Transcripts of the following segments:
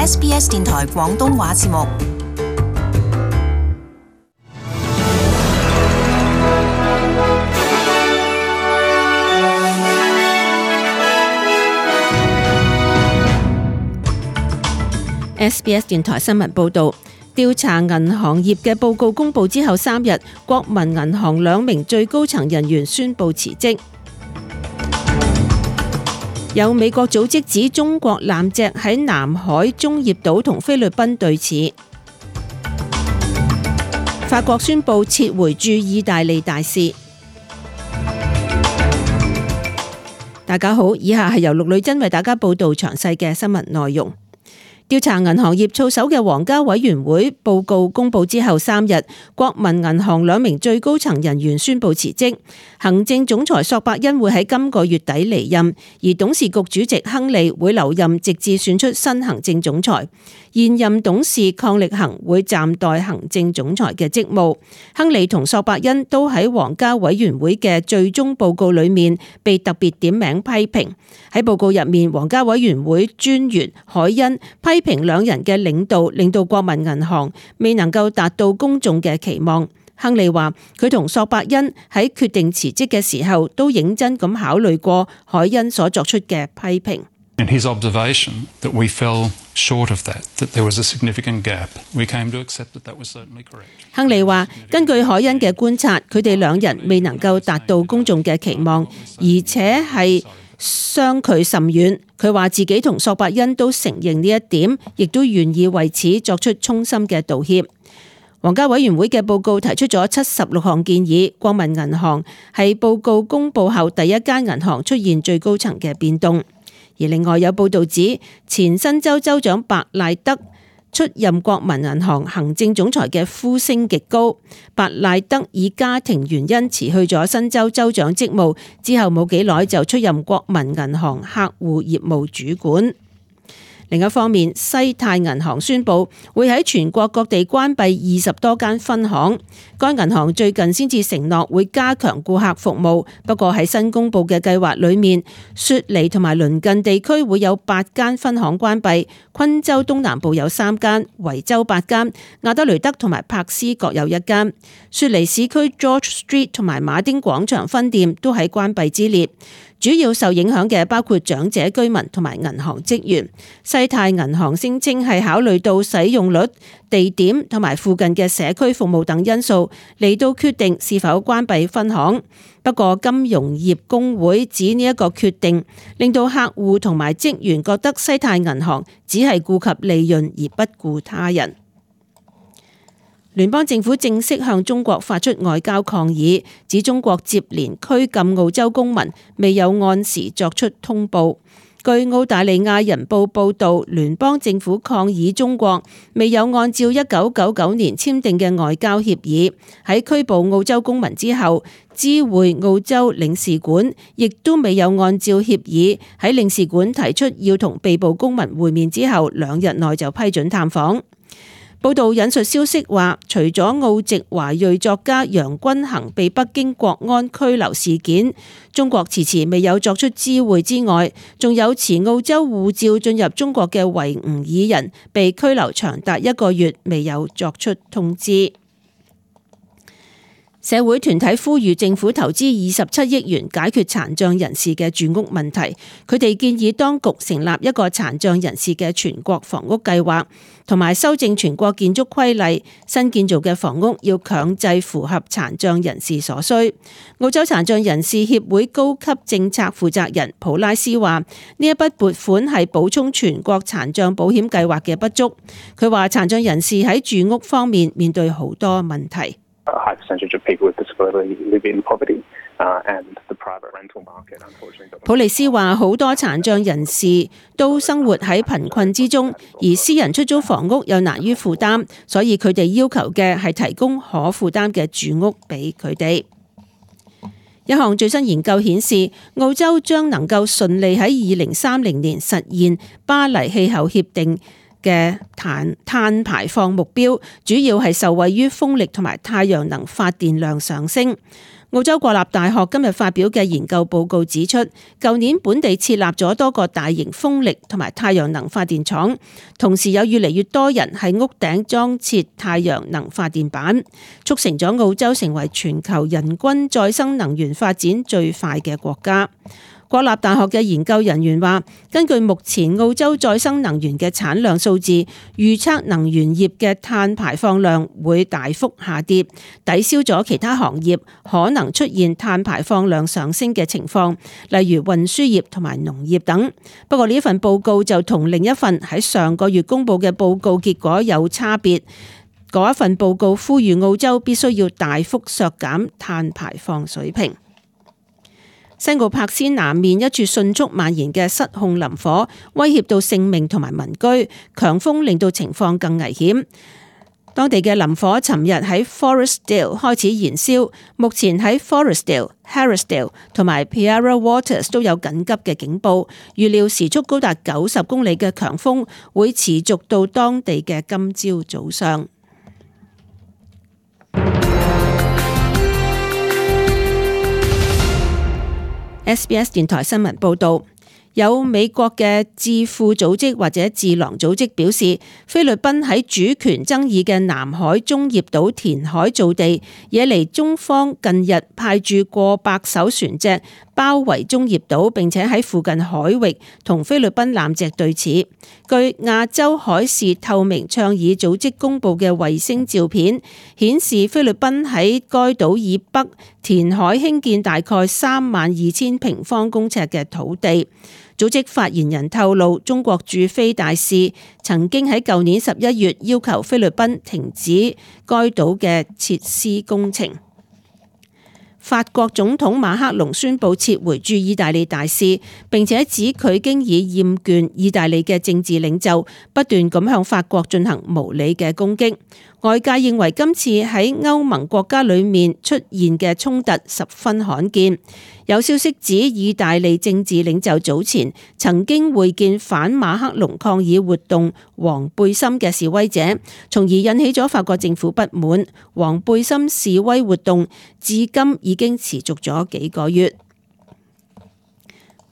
SBS 電台廣東話節目。SBS 電台新聞報導，調查銀行業嘅報告公佈之後3日，國民銀行2名最高層人員宣布辭職。有美國組織指中國艦隻喺南海中業島同菲律賓對峙。法國宣布撤回駐意大利大使。大家好，以下係由陸女真為大家報導詳細嘅新聞內容。調查銀行業操守嘅皇家委員會報告公佈之後3日，國民銀行2名最高層人員宣布辭職。行政總裁索伯恩會喺今個月底離任，而董事局主席亨利會留任直至選出新行政總裁。現任董事鄺力行會暫代行政總裁嘅職務。亨利同索伯恩都喺皇家委員會嘅最終報告裏面被特別點名批評。喺報告入面，皇家委員會專員海恩批評兩人嘅領導令到國民銀行未能夠達到公眾嘅期望。亨利話佢同索伯恩喺決定辭職嘅時候都認真咁考慮過海恩所作出嘅批評。In his observation that we fell short of that there was a significant gap, we came to accept that was certainly correct. 亨利話根據海恩嘅觀察，佢哋兩人未能夠達到公眾嘅期望，而且係相距甚遠。佢話自己同索伯恩都承認呢一點，亦都願意為此作出衷心嘅道歉。皇家委員會嘅報告提出咗76項建議，國民銀行係報告公佈後第一間銀行出現最高層嘅變動。而另外有報導指，前新州州長白賴德出任國民銀行行政總裁嘅呼聲極高。白賴德以家庭原因辭去咗新州州長職務，之後冇幾耐就出任國民銀行客戶業務主管。另一方面，西太銀行宣布會喺全國各地關閉20多間分行。該銀行最近先至承諾會加強顧客服務，不過喺新公布嘅計劃裏面，雪梨同埋鄰近地區會有8間分行關閉，昆州東南部有3間，維州8間，亞德雷德同埋柏斯各有1間。雪梨市區 George Street 同埋馬丁廣場分店都喺關閉之列。主要受影響嘅包括長者居民同埋銀行職員。西太銀行聲稱係考慮到使用率、地點同埋附近嘅社區服務等因素嚟到決定是否關閉分行。不過金融業工會指呢一個決定令到客戶同埋職員覺得西太銀行只係顧及利潤而不顧他人。聯邦政府正式向中國發出外交抗議，指中國接連拘禁澳洲公民，未有按時作出通報。據澳大利亞人報報導，聯邦政府抗議中國未有按照1999年簽訂嘅外交協議，喺拘捕澳洲公民之後，知會澳洲領事館，亦都未有按照協議喺領事館提出要同被捕公民會面之後2日內就批准探訪。報道引述消息話，除咗澳籍華裔作家楊君衡被北京國安拘留事件，中國遲遲未有作出知會之外，仲有持澳洲護照進入中國嘅維吾爾人被拘留長達1個月，未有作出通知。社會團體呼籲政府投資27億元解決殘障人士嘅住屋問題。佢哋建議當局成立一個殘障人士嘅全國房屋計劃，同埋修正全國建築規例，新建造嘅房屋要強制符合殘障人士所需。澳洲殘障人士協會高級政策負責人普拉斯話：呢一筆撥款係補充全國殘障保險計劃嘅不足。佢話殘障人士喺住屋方面面對好多問題。普利斯話：好多殘障人士都生活喺貧困之中，而私人出租房屋又難於負擔，所以佢哋要求嘅係提供可負擔嘅住屋俾佢哋。一項最新研究顯示，澳洲將能夠順利喺2030年實現巴黎氣候協定嘅碳排放目標，主要係受惠於風力同埋太陽能發電量上升。澳洲國立大學今日發表嘅研究報告指出，舊年本地設立咗多個大型風力同埋太陽能發電廠，同時有越嚟越多人喺屋頂裝設太陽能發電板，促成咗澳洲成為全球人均再生能源發展最快嘅國家。國立大學嘅研究人員話，根據目前澳洲再生能源嘅產量數字，預測能源業嘅碳排放量會大幅下跌，抵消咗其他行業可能出現碳排放量上升嘅情況，例如運輸業同埋農業等。不過呢份報告就同另一份喺上個月公布嘅報告結果有差別。嗰一份報告呼籲澳洲必須要大幅削減碳排放水平。西澳柏斯南面一處迅速蔓延嘅失控林火，威脅到性命同埋民居，強風令到情況更危險。當地嘅林火尋日喺 Forestdale 開始燃燒，目前喺 Forestdale、Harrisdale 同埋 Piara Waters 都有緊急嘅警報，預料時速高達90公里嘅強風會持續到當地嘅今朝早上。SBS 電台新聞報導，有美國嘅智庫組織或者智囊組織表示，菲律賓喺主權爭議嘅南海中業島填海造地，惹嚟中方近日派駐過百艘船隻包圍中業島，並且喺附近海域同菲律賓艦隻對峙。據亞洲海事透明倡議組織公佈嘅衛星照片顯示，菲律賓喺該島以北填海興建大概32,000平方公尺嘅土地。組織發言人透露，中國駐菲大使曾經喺舊年11月要求菲律賓停止該島嘅設施工程。法國總統馬克龍宣布撤回駐意大利大使，並且指佢經已厭倦意大利嘅政治領袖不斷咁向法國進行無理嘅攻擊。外界認為今次喺歐盟國家裏面出現嘅衝突十分罕見。有消息指，意大利政治領袖早前曾經會見反馬克龍抗議活動黃背心嘅示威者，從而引起咗法國政府不滿。黃背心示威活動至今已經持續咗幾個月。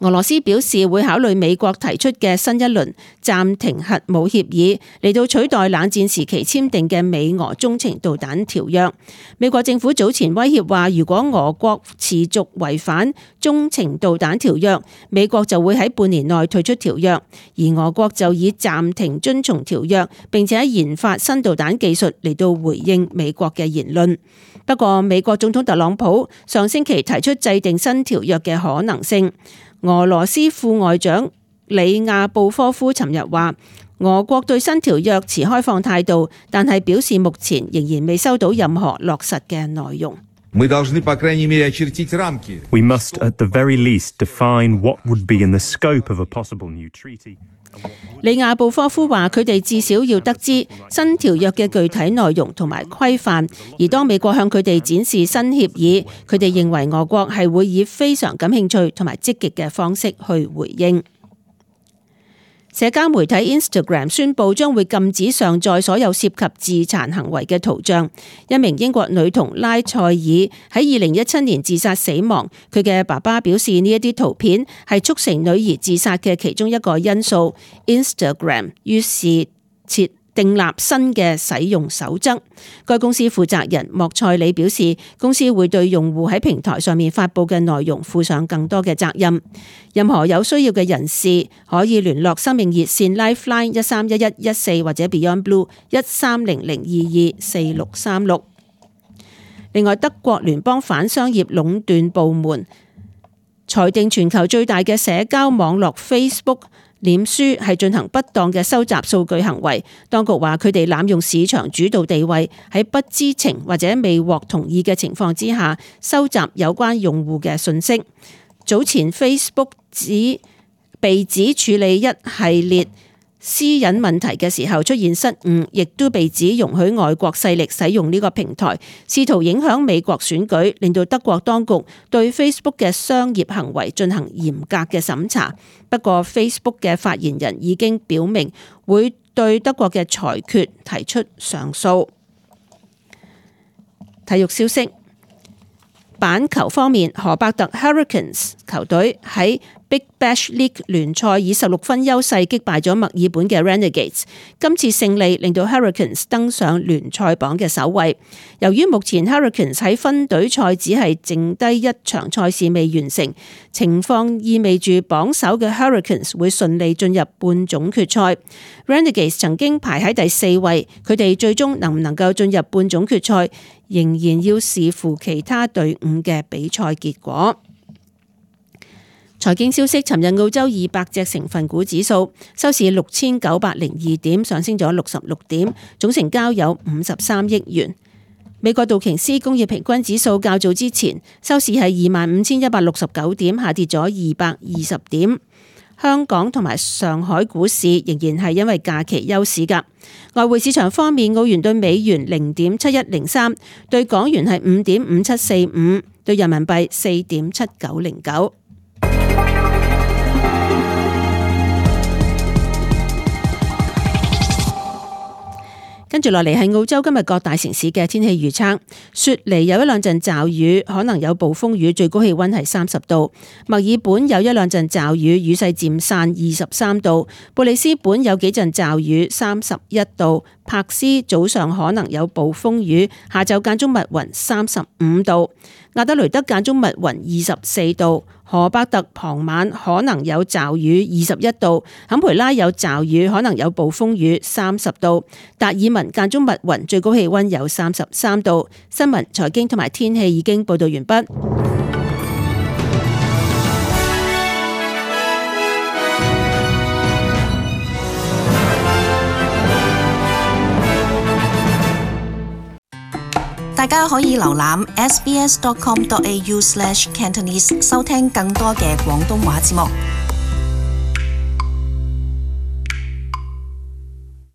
俄羅斯表示會考慮美國提出嘅新一輪暫停核武協議，嚟到取代冷戰時期簽訂嘅美俄中程導彈條約。美國政府早前威脅話，如果俄國持續違反中程導彈條約，美國就會喺半年內退出條約，而俄國就以暫停遵從條約，並且研發新導彈技術嚟到回應美國嘅言論。不過，美國總統特朗普上星期提出制定新條約嘅可能性。俄羅斯副外長里亞布科夫尋日話，俄國對新條約持開放態度，但係表示目前仍然未收到任何落實嘅內容。We must at the very least define what would be in the scope of a possible new treaty. 里亞布科夫話，佢哋至少要得知新條約嘅具體內容同埋規範，而當美國向佢哋展示新協議，佢哋認為俄國係會以非常感興趣同埋積極嘅方式去回應。社交媒體 Instagram 宣布將會禁止上載所有涉及自殘行為嘅圖像。一名英國女童拉塞爾喺2017年自殺死亡，佢嘅爸爸表示呢一啲圖片係促成女兒自殺嘅其中一個因素。Instagram 於是訂立新嘅使用守則。該公司負責人莫塞里表示，公司會對用戶喺平台上面發布嘅內容負上更多嘅責任。任何有需要嘅人士可以聯絡生命熱線 Lifeline 131114或者 Beyond Blue 1300224636。另外，德國聯邦反商業壟斷部門裁定全球最大嘅社交網絡 Facebook臉書係進行不當嘅收集數據行為，當局話佢哋濫用市場主導地位，喺不知情或者未獲同意嘅情況之下收集有關用戶嘅信息。早前 Facebook 被指處理一系列私隱問題嘅時候出現失誤，亦都被指容許外國勢力使用呢個平台，試圖影響美國選舉，令到德國當局對 Facebook 嘅商業行為進行嚴格嘅審查。不過 Facebook 嘅發言人已經表明會對德國嘅裁決提出上訴。體育消息。板球方面，荷伯特 Hurricanes 球隊喺Big Bash League 聯賽以16分優勢擊敗咗墨爾本嘅 Renegades。今次勝利令到 Hurricanes 登上聯賽榜嘅首位。由於目前 Hurricanes 喺分隊賽只係剩低一場賽事未完成，情況意味住榜首嘅 Hurricanes 會順利進入半總決賽。Renegades 曾經排喺第4位，佢哋最終能唔能夠進入半總決賽，仍然要視乎其他隊伍嘅比賽結果。財經消息，尋日澳洲200隻成分股指數收市6902點，上升咗66點，總成交有53億元。美國道瓊斯工業平均指數較早之前收市係25,169點，下跌咗220點。香港同埋上海股市仍然係因為假期休市㗎。外匯市場方面，澳元對美元0.7103，對港元係5.5745，對人民幣4.7909。跟住落嚟係澳洲今日各大城市嘅天氣預測。雪梨有一兩陣驟雨，可能有暴風雨，最高氣溫係30度。墨爾本有一兩陣驟雨，雨勢漸散，23度。布里斯本有幾陣驟雨，31度。柏斯早上可能有暴風雨，下晝間中密雲，35度。亞德雷德間中密雲，24度。荷伯特傍晚可能有驟雨，21度。坎培拉有驟雨，可能有暴風雨，30度。達爾文間中密雲，最高氣溫有33度。新聞、財經同埋天氣已經報道完畢。大家可以瀏覽 sbs.com.au/Cantonese 收聽更多嘅廣東話節目。